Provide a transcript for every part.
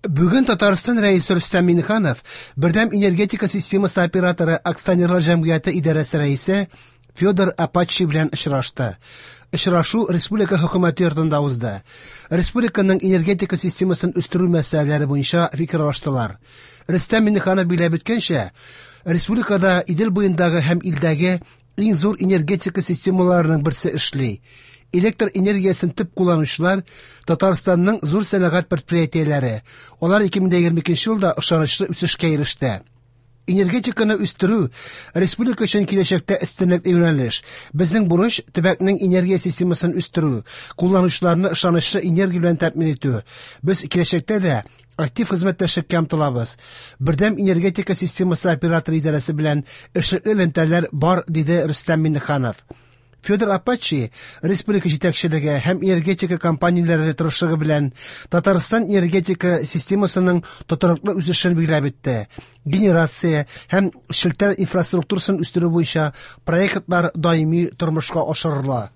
Бүген Татарстан Рәисе Рөстәм Миңнеханов Бердәм энергетика системасы операторы акционерлар җәмгыяте идарәсе рәисе Федор Апачи белән очрашты. Очрашу республика хөкүмәте йортында узды. Республиканың энергетика системасын үстерү мәсьәләләре буенча фикер алыштылар. Рөстәм Миңнеханов билгеләп үткәнчә, республикада Идел буендагы һәм илдәге иң зур энергетика системаларының берсе эшли. Электр энергиясен төп кулланучылар Татарстанның зур сәнәгать предприятиеләре. Алар 2022 елда ышанычлы үсешкә иреште. Энергетиканы үстерү республика өчен киләчәктә өстенлекле юнәлеш. Безнең бурыч төбәкнең энергия системасын үстерү, кулланучыларны ышанычлы энергия белән тәэмин итү. Без киләчәктә дә актив хезмәттәшлеккә омтылабыз. Бердәм энергетика системасы операторы идарәсе белән эшлекле элемтәләр бар, диде Рөстәм Миңнеханов. Федор Апачи республика җитәкчелеге һәм энергетика компанияләре тырышлыгы белән Татарстан энергетика системасының тотрыклы үсешен билгеләп үтте. Генерация һәм челтәр инфраструктурасын үстерү буенча проектлар даими тормышка ашырыла.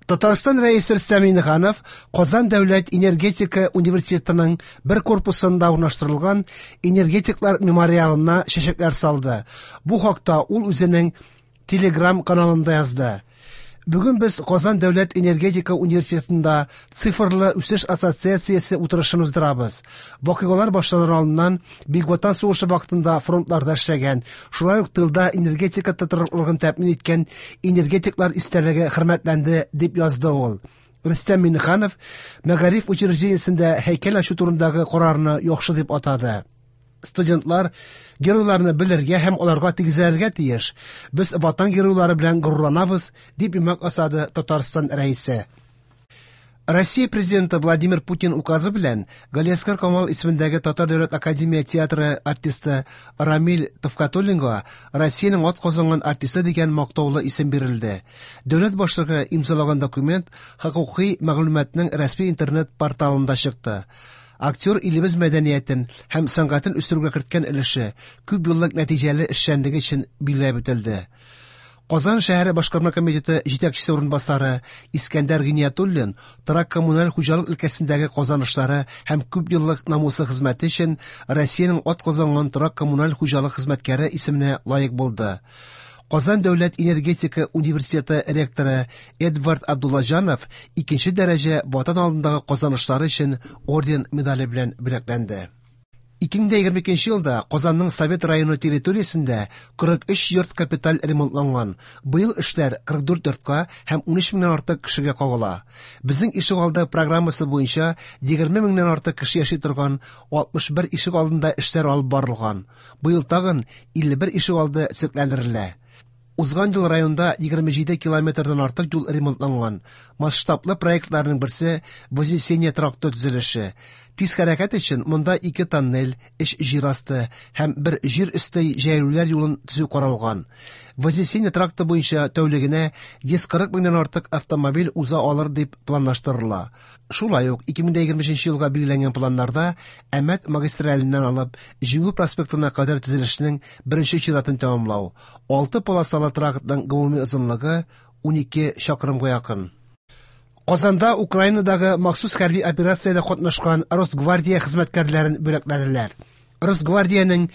Татарстан Рәисе Рөстәм Миңнеханов Казан дәүләт энергетика университетының бер корпусында урнаштырылган энергетиклар мемориалына чәчәкләр салды. Бу хакта ул үзенең Телеграм каналында язды. Бүген без Казан дәүләт энергетика университетында Цифрлы үсеш ассоциациясе утырышын уздырабыз. Вакыйгалар башланыр алдыннан Бөек Ватан сугышы вакытында фронтларда эшләгән, шулай ук тылда энергетика тотрыклылыгын тәэмин иткән энергетиклар истәлеге хөрмәтләнде, дип язды ул. Рөстәм Миңнеханов мәгариф учреждениесендә һәйкәл ачу турындагы карарны яхшы дип атады. Студентлар геройларны белергә һәм аларга тигезләргә тиеш. Без ватан геройлары белән горурланабыз, дип йомгак ясады Татарстан Рәисе. Россия президенты Владимир Путин указы белән Галиәсгар Камал исемендәге Татар дәүләт академия театры артисты Рамил Төхфәтуллинга Россиянең атказанган артисты дигән мактаулы исем бирелде. Дәүләт башлыгы имзалаган документ хокукый мәгълүматның рәсми интернет порталында чыкты. Актер илебез мәдәниятен һәм сәнгатен үстерүгә керткән өлеше, күп еллык нәтиҗәле эшчәнлеге өчен билгеләп үтелде. Казан шәһәре башкарма комитеты җитәкчесе урынбасары Искәндәр Гиниятуллин торак-коммуналь хуҗалык өлкәсендәге казанышлары һәм күп еллык намуслы хезмәте өчен Россиянең атказанган торак-коммуналь хуҗалык хезмәткәре исеменә лаек булды. Казан дәүләт энергетика университеты ректоры Эдвард Абдуллаҗанов икенче дәрәҗә Ватан алдындагы казанышлары өчен орден медале белән бүләкләнде. 2022 елда Казанның Совет районы территориясендә 43 йорт капиталь ремонтланган. Быел эшләр 44 йортка һәм 13 меңнән артык кешегә кагыла. Безнең ишегалды программасы буенча 20 меңнән артык кеше яши торган 61 ишегалдында эшләр алып барылган. Быел тагын 51 ишегалды төзекләндерелә. Узган ел районда 27 километрдан артык юл ремонтланган. Масштаблы проектларның берсе Вознесение тракты төзелеше. Тиз хәрәкәт өчен монда 2 тоннель, 3 җир асты һәм бер җир өсте җәяүлеләр юлын төзү каралган. Вознесение тракты буенча тәүлегенә 140 меңнән артык автомобиль уза алыр дип планлаштырыла. Шулай ук 2023 елга билгеләнгән планнарда Әмәт магистраленнән алып Җиңү проспектына кадәр төзелешнең беренче чиратын тәмамлау. 6 полосалы трактның гомуми озынлыгы 12 чакрымга якын. Казанда Украинадагы махсус хәрби операциядә катнашкан Росгвардия хезмәткәрләрен бүләкләделәр. Росгвардиянең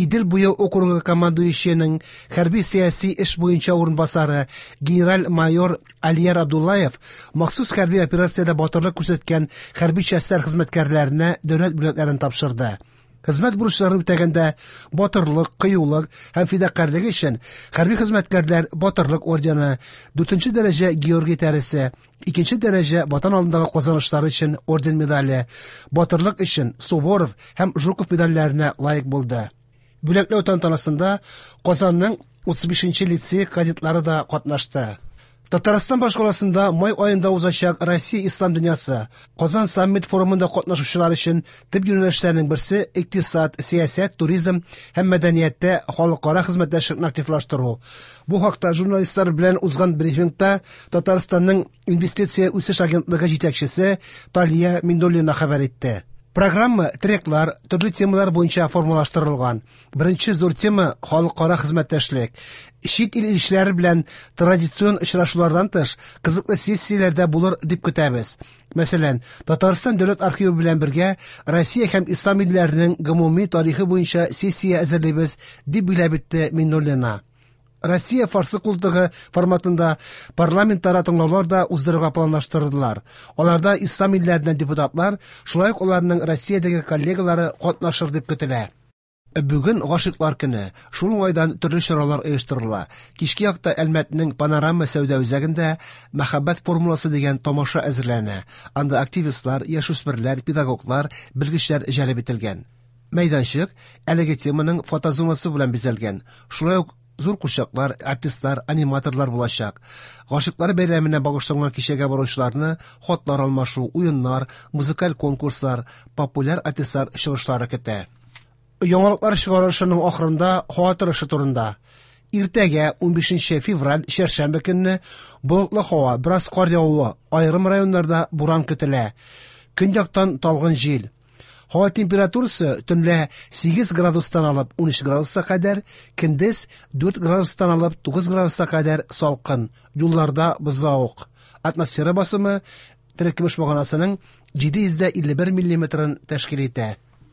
Идел буе округы командующиеның хәрби сәяси эш буенча урынбасары генераль-майор Алияр Абдуллаев махсус хәрби операциядә батырлык күрсәткән хәрби частьләр хезмәткәрләренә дәүләт бүләкләрен тапшырды. Хезмәт бурычларын үтәгәндә батырлык, кыюлык һәм фидакарьлек өчен хәрби хезмәткәрләр Батырлык ордены, 4 дәрәҗә Георгий тәресе, 2 дәрәҗә Ватан алдындагы казанышлары өчен орден медале, Батырлык өчен Суворов һәм Жуков медальләренә лаек булды. Бүләкләү тантанасында Казанның 35 лицей кадетлары да катнашты. Татарстан башкаласында май аенда узачак Россия ислам дөньясы Казан саммит форумында катнашучылар өчен төп юнәлешләрнең берсе икътисад, сәясәт, туризм һәм мәдәнияттә халыкара хезмәттәшлекне активлаштыру. Бу хакта журналистлар белән узган брифингта Татарстанның инвестиция үсеш агентлыгы җитәкчесе Талия Миндуллина хәбәр итте. Программа треклар, төрле темалар буенча формалаштырылган. Беренче зур тема халыкара хезмәттәшлек. Чит ил илчеләре белән традицион очрашулардан тыш, кызыклы сессияләр дә булыр дип көтәбез. Мәсәлән, Татарстан дәүләт архивы белән бергә Россия һәм ислам илләренең гомуми тарихы буенча сессия әзерлибез, дип билгеләп үтте Миннуллина. Россия Фарсы култыгы форматында парламентара тыңлаулар да уздырырга планлаштырдылар. Аларда ислам илләреннән депутатлар, шулай ук аларның Россиядәге коллегалары катнашыр дип көтелә. Бүген гашыйклар көне. Шул уңайдан төрле чаралар оештырыла. Кичке якта Әлмәтнең Панорама сәүдә үзәгендә Мәхәббәт формуласы дигән тамаша әзерләнә. Анда активистлар, яшүсмерләр, педагоглар, белгечләр җәлеп ителгән. Мәйданчык әлеге теманың фотозонасы белән бизәлгән. Шулай ук зур курчаклар, артистлар, аниматорлар булачак. Гашыйклар бәйрәменә багышланган кичәгә баручыларны хатлар алмашу, уеннар, музыкаль конкурслар, популяр артистлар чыгышлары көтә. Яңалыклар чыгарылышының ахырында һава торышы турында. Иртәгә 15 февраль чәршәмбе көнне болытлы һава, бераз кар явуы, аерым районнарда буран көтелә. Көньяктан талгын җил. Һава температурасы төнлә 8 градустан алып 13 градуска кадәр, көндез 4 градустан алып 9 градуска кадәр салкын. Юлларда бозлавык. Атмосфера басымы терекөмеш баганасының 751 миллиметрын тәшкил итә.